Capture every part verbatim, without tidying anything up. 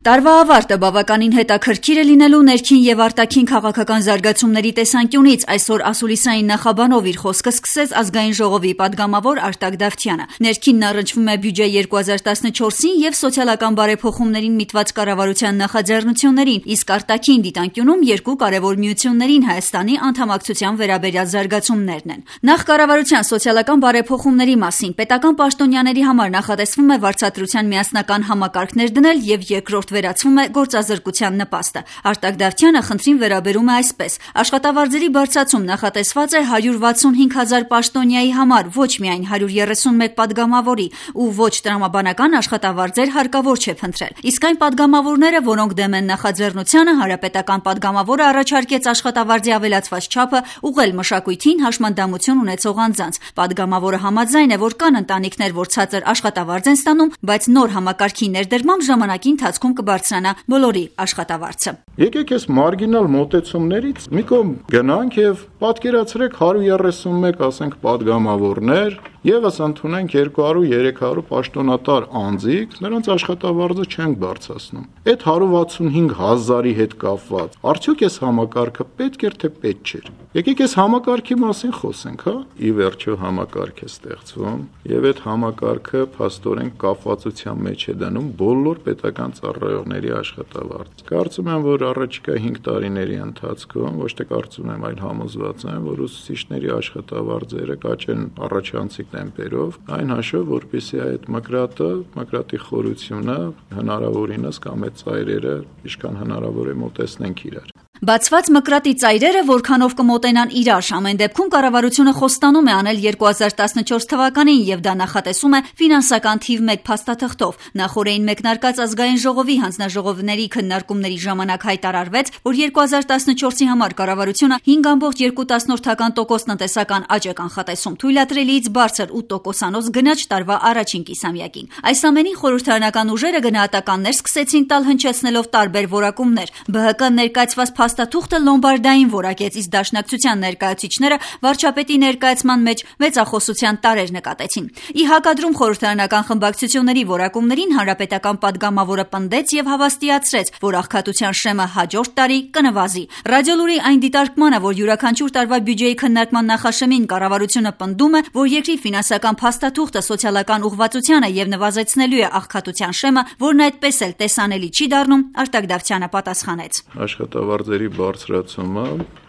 Տարվա ավարտը բավականին հետաքրքիր է լինելու ներքին եւ արտաքին քաղաքական զարգացումների տեսանկյունից այսօր ասուլիսային նախաբանով իր խոսքը սկսեց ազգային ժողովի падգամավոր Արտակ Դավթյանը։ Ներքինն առնչվում է բյուջե երկու հազար տասնչորսին եւ սոցիալական բարեփոխումներին միտված կառավարության նախաձեռնություններին, իսկ արտաքին դիտանկյունում երկու կարևոր միություններին Հայաստանի անդամակցության վերաբերյալ զարգացումներն են։ Նախ կառավարության սոցիալական բարեփոխումների մասին պետական պաշտոնյաների համար նախատեսվում է վարձատրության միասնական համակարգներ դնել եւ երկրորդ վերացվում է գործազրկության նպաստը։ Արտակ Դավթյանը խնդրին վերաբերում է այսպես. աշխատավարձերի բարձրացում նախատեսված է հարյուր վաթսունհինգ հազար պաշտոնյայի համար, ոչ միայն հարյուր երեսունմեկ падգամավորի, ու ոչ տրամաբանական աշխատավարձեր հարկավոր չէ փնտրել։ Իսկ այն падգամավորները, որոնք դեմ են նախաձեռնությանը, հանրապետական падգամավորը առաջարկեց աշխատավարձի ավելացված չափը ուղղել մշակույթին հաշմանդամություն ունեցող անձանց։ Падգամավորը համաձայն է, որ կան ընտանիքներ, որ ցածր աշխատավարձ են ստանում, բայց նոր համակարգի ներդրմամբ ժամանակի ընթացքում կբարձրանա բոլորի աշխատավարձը։ Եկեք այս մարգինալ մոտեցումներից մի կողմ գնանք եւ պատկերացրեք հարյուր երեսունմեկ, ասենք, падգամավորներ եւս ընդունենք երկու հարյուր երեք հարյուր պաշտոնատար անձիկ, նրանց աշխատավարձը չենք բարձրացնում։ Այդ հարյուր վաթսունհինգ հազարի հետ կապված արդյոք այս համակարգը պետք էր թե պետք չէր։ Եկեք այս համակարգի մասին խոսենք, հա։ Ի վերջո համակարգ է ստեղծվում եւ այդ համակարգը փաստորեն կապվածության մեջ է դնում բոլոր պետական ծառայողների աշխատավարձ։ Կարծում եմ, որ առաջիկա հինգ տարիների ընթացքում, ոչ թե կարծում եմ, այլ համոզված եմ, որ ուսուցիչների աշխատավարձերը կաճեն առաջանցիկ տեմպերով, այն հաշվով, որպեսզի այդ մկրատը, մկրատի խորությունը հնարավորինս կամ այդ ծայրերը ինչքան հնարավոր է մոտեցնենք իրար։ Բացված մկրատի ծայրերը որքանով կմոտենան իրար, ամեն դեպքում կառավարությունը խոստանում է անել երկու հազար տասնչորս թվականին եւ դա նախատեսում է ֆինանսական թիվ մեկ փաստաթղթով։ Նախորդին մեկնարկած ազգային ժողովի հանձնաժողովների քննարկումների ժամանակ հայտարարվեց, որ երկու հազար տասնչորսի համար կառավարությունը հինգ տասնյակ երկու տոկոս տնտեսական աճ է կանխատեսում, թույլատրելիից բարձր ութ տոկոսանոց գնաճ տարվա առաջին կիսամյակին։ Այս ամենին խորհրդարանական ուժերը գնահատականներ սկսեցին տալ հնչեցնելով տարբեր որակումներ։ ԲՀԿ ներկայացված փաստաթուղթը լոմբարդային որակեց, իսկ դաշնակցության ներկայացուցիչները վարչապետի ներկայացման մեջ մեծախոսության տարեր նկատեցին։ Ի հակադրում խորհրդարանական խմբակցությունների որակումներին հանրապետական падգամավորը պնդեց եւ հավաստիացրեց, որ աղքատության շեմը հաջորդ տարի կնվազի։ Ռադիոլուրի այն դիտարկմանը, որ յուրաքանչյուր տարվա բյուջեի քննարկման նախաշեմին կառավարությունը պնդում է, որ երկրի ֆինանսական փաստաթուղթը սոցիալական ուղղվածության է եւ նվազեցնելու է աղքատության շեմը, որն այդպես էլ տեսանելի չի դառնում, Արտակ Դավթյանը պատասխանեց. Աշխատավարձերի բարձրացումը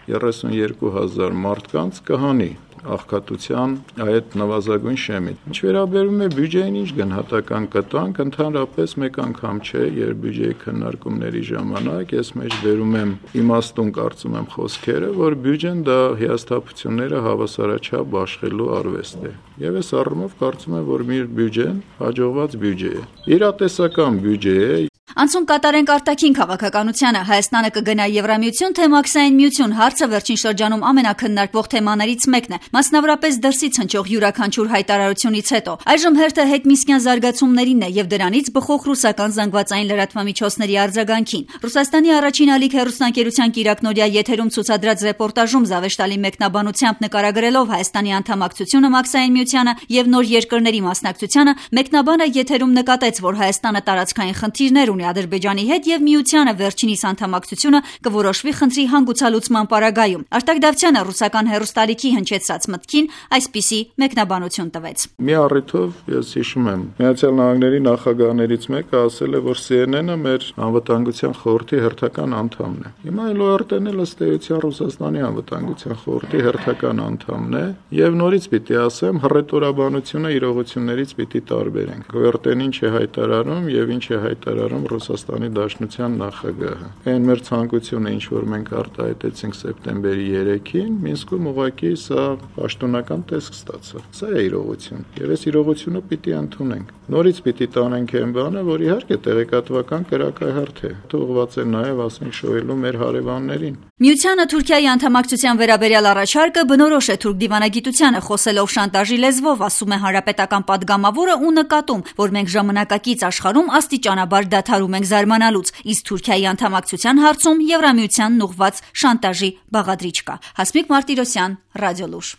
երեսունյերկու հազար մարդկանց կհանի աղքատության այդ նվազագույն շեմին։ Ինչ վերաբերում է բյուջեին, ինչ գնահատական կտանք, ընդհանրապես մեկ անգամ չէ, երբ բյուջեի քննարկումների ժամանակ ես մեջ բերում եմ իմաստուն կարծում եմ խոսքերը, որ բյուջեն դա հիասթափությունները հավասարաչափ բաշխելու արվեստ է։ Եվ այս առումով կարծում եմ, որ մեր բյուջեն հաջողված բյուջե է։ Իրատեսական բյուջե է։ Անցում կատարենք արտաքին քաղաքականությանը։ Հայաստանը կգնա Եվրամիություն, թե Մաքսային միություն հարցը վերջին շրջանում ամենակննարկվող թեմաներից մեկն է, մասնավորապես դրսից հնչող յուրաքանչյուր հայտարարությունից հետո։ Այժմ հերթը հետմիսկյան զարգացումներին է եւ դրանից բխող ռուսական զանգվածային լրատվամիջոցների արձագանքին։ Ռուսաստանի առաջին ալիք հեռուստաընկերության կիրակնօրյա եթերում ցուցադրած ռեպորտաժում Զավեշտալի մեկնաբանությամբ նկարագրելով Հայաստանի անդամակցությունը Մաքսային միությանը եւ նոր երկրների մասնակցությանը, մեկնաբանը եթերում նկատեց, որ Հայաստանը տարածքային խնդիրներ ունի Ադրբեջանի հետ եւ միությանը վերջինիս անդամակցությունը կորոշվի խնդրի հանգուցալուծման պարագայում։ Արտակ Դավթյանը ռուսական հեռուստալիքի հնչեցած մտքին այսպիսի մեկնաբանություն տվեց. Մի առիթով ես հիշում եմ, Միացյալ Նահանգների նախագահներից մեկը ասել է, որ C N N-ը մեր անվտանգության խորհրդի հերթական անդամն է։ Հիմա էլ O R T-ն էլ ըստ էության Ռուսաստանի անվտանգության խորհրդի հերթական անդամն է եւ նորից պիտի ասեմ, հռետորաբանությունը իրողություններից պիտի տարբերենք։ O R T-ն ինչ է հայտարարում եւ ինչ է հայտարարում Ռուսաստանի Դաշնության նախագահը։ Այն մեր ցանկությունը, ինչ որ մենք արտահայտեցինք սեպտեմբերի երեքին, Մինսկում ուղղակի սա պաշտոնական տեսք ստացավ։ Սա է իրողություն։ Եվ այս իրողությունը պիտի ընդունենք։ Նորից պիտի տանենք այն բանը, որ իհարկե տեղեկատվական կրակահարթ է։ Ուղղված է նաև, ասենք, շոյելու մեր հարևաններին։ Միությանը Թուրքիայի անդամակցության վերաբերյալ առաջարկը բնորոշ է թուրք դիվանագիտությանը, խոսելով շանտաժի լեզվով, ասում է հանրապետական падգամավորը ու նկատում, որ մենք ժամանակակից աշխարհում աստիճանաբար դադարում ենք զարմանալուց, իսկ Թուրքիայի անդամակցության հարցում Եվրամիությանն ուղղված շանտաժի բաղադրիչ կա։ Հասմիկ Մարտիրոսյան, Ռադիոլուր։